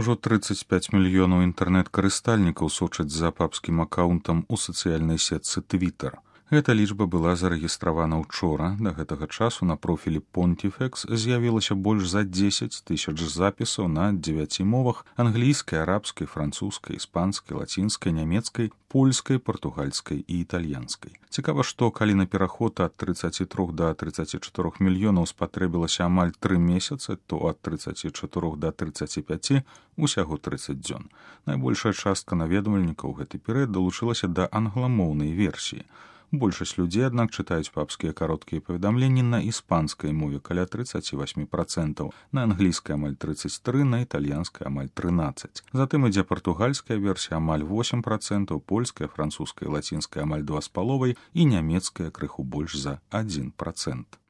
Ужо 35 мільёнаў інтэрнэт-карыстальнікаў сочаць за папскім акаунтам у сацыяльнай сетцы Twitter. Гэта лічба была зарэгістравана ўчора. Да гэтага часу на профілі Pontifex з'явілася больш за 10 тысяч запісаў на 9 мовах: англійскай, арабскай, французскай, іспанскай, лацінскай, нямецкай, польскай, партугальскай і італьянскай. Цікава, што калі на пераход ад 33 да 34 мільёнаў спатрэбілася амаль 3 месяцы, то ад 34 да 35 усяго 30 дзён. Найбольшая частка наведвальнікаў гэты перыяд далучылася да англамоўнай версіі. Большасць людзей, аднак, чытаюць папскія кароткія паведамленні на іспанскай мове каля 38%, на англійскай амаль 33%, на італьянскай амаль 13%. Затым ідзе партугальская версія амаль 8%, польская, французская, лацінская амаль 2,5% і нямецкая крыху больш за 1%.